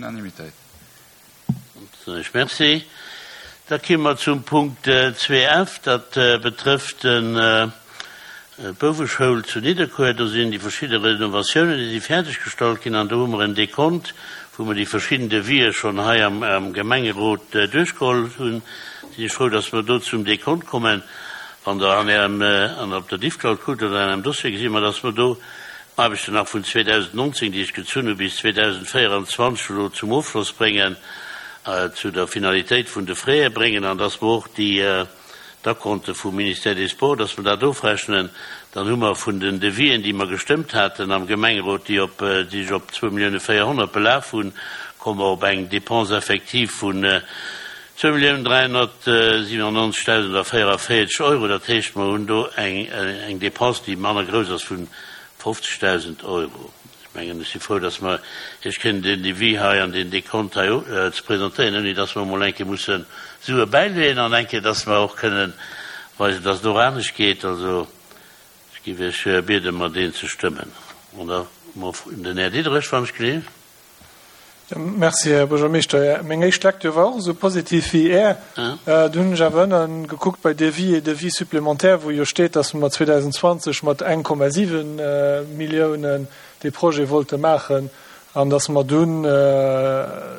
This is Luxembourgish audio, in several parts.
Unanimitéit. Merci. Da komme mer zum Punkt 2F. Dat betrëfft d'Bouweschoul zu Nidderkuer. Do sinn déi verschidde Renovatiounen, déi si fäerdeggestallt ginn. An do hu mer en Dekont, wou mer déi verschidden Devisë schonn hei am Gemengerot duerchgeholl hunn. Sinn ech frou, dass mer do zum Dekont kommen. Wann Der an Ärem, an op der Diffcloud kuckt oder an Ärem Dossier, gesi mer, dass mer do Aarbechten nach vun 2019, déi ech gezunn hu bis 2024 elo zum Ofschloss bréngen, zu der Finalitéit vun de Frais bréngen an dass mer och déi d'Acompte vum Ministère des Sports, dass mer dat ofrechnen. Dann hu mer vun den Devisien, déi mer gestëmmt haten am Gemengerot, déi op, déi sech op 2 Milliounen 400 belaf hunn, komme mer op eng Dépense effective vun 2.397.044 Euro. Dat heescht, mer hunn do eng Dépense, déi manner grouss ass vun 50.000 Euro. Ech mengen, ech si frou, dass mer Iech kënnen deen Devis hei an deen Dekont hei ze presentéieren, ouni dass mer emol eng Kéier musse Sue bäileeën an eng Kéier, dass mer och kënnen weisen, dass et och anescht geet. Also, ech géif Iech bieden, mer deen ze stëmmen. An da den Här Diderich, wann ech gleef. Merci, Här Buergermeeschter. Meng éischt Lecture war och esou positiv wéi Är. Dunn hunn ech awer ënnen gekuckt bei Devis et devis supplémentaires, wou jo steet, dass mer 2020 mat 1,7 Milliounen dee Projet wollte maachen an dass mer dunn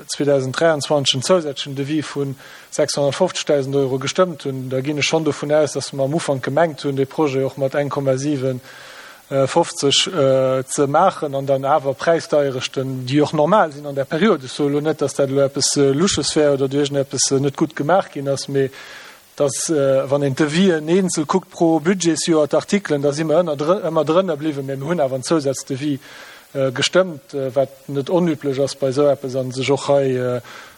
2023 en zousätzlechen Devis vu 650.000 Euro gestëmmt hunn. Da ginn ech schonn dovun aus, dass mer am Ufank gemengt hunn, dee Projet och mat 1,7 50 ze maachen an dann awer Präisdeierechten, déi och normal sinn an där Period, ech soe elo net, datt dat elo eppes Louches wär oder do iergendeppes net gutt gemaach ginn ass, mee datt, wann een d'Devisien eenzel kuckt pro Budgetsjoer, d'Artikelen, da si mer ëmmer drënner bliwwen, mee mir hunn awer en Zousazdevis gestëmmt, wat net onüblech ass bei esou eppes a sech och hei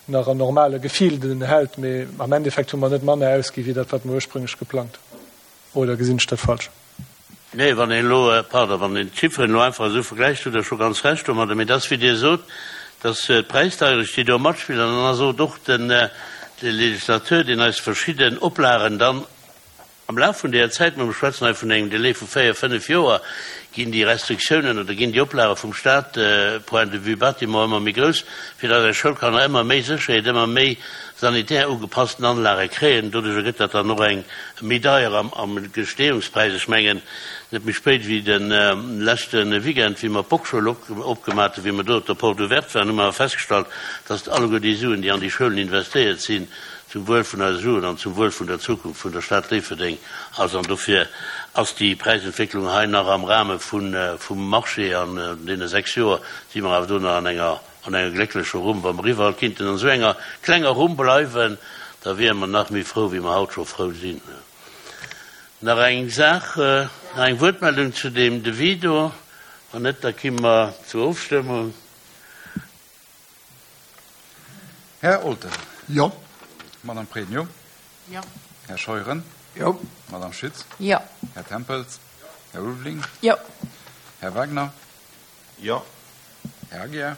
nach an normale Gefilden hält. Mee am Endeffekt hu mer net manner ausgi wéi dat, wat mer ursprünglech geplangt hunn. Oder gesinn ech dat falsch? Nee, wann een elo, pardon, wann een d'Chifferen elo einfach esou vergläicht, hutt Der scho ganz Recht domadder. Mee et ass, wéi Dir sot, dass d'Präisdeierecht, déi do matspillt, an dann ass och och den de Législateur, deen eis verschidden Oplagen dann am Laf vun deeër Zäit, mä mir schwätzen hei vun engem Delai vu véier, fënnef Joer, ginn déi Restriktiounen oder ginn déi Oplage vum Stat point de vue Bâtiment ëmmer méi grouss, fir dass eis Schoulkanner ëmmer méi Sécherheet, ëmmer méi sanitär ugepassten Anlage kréien. Doduerjer gëtt dat dann och eng méi deier am Gestehungspräis. Ech mengen, net méi spéit wéi de leschte Weekend, wéi mer d'Boxschoul opgemaach hunn, wéi mer do op der Porte ouverte waren, hu mer awer festgestallt, dass alleguer déi Suen, déi an déi Schoulen investéiert sinn, zum Wuel vun eise Jugend an zum Wuel vun der Zukunft vun der Stad Déifferdeng ass. An dofir ass déi Präisentwécklung hei nach am Rahme vum Marché. An deene 6 Joer si mer awer do nach an enger An enger glécklecher Rumm. Wa mer iwwerall kinnten an esou enger klenger Rumm bleiwen, da wiere mer nach méi frou, wéi mer haut scho frou sinn. Nach eng Saach, nach eng Wuertmeldung zu deem Devis do? Wann net, da ki mer zur Ofstëmmung. Här Olten. Jo. Madame Pregno. Jo. Här Scheuren. Jo. Madame Schütz. Jo. Här Tempels. Här Ulveling. Jo. Här Wagner. Jo. Här Aguiar.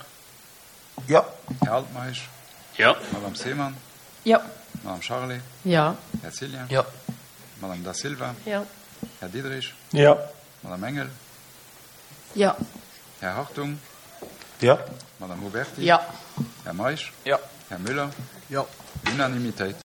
Jo. Här Altmeisch. Jo. Madame Seemann. Jo. Madame Charlé. Jo. Här Cillien. Jo. Madame Da Silva. Jo. Här Diderich. Jo. Madame Engel. Jo. Här Hartung. Jo. Madame Huberti. Jo. Här Meisch. Jo. Här Müller. Jo. Unanimitéit.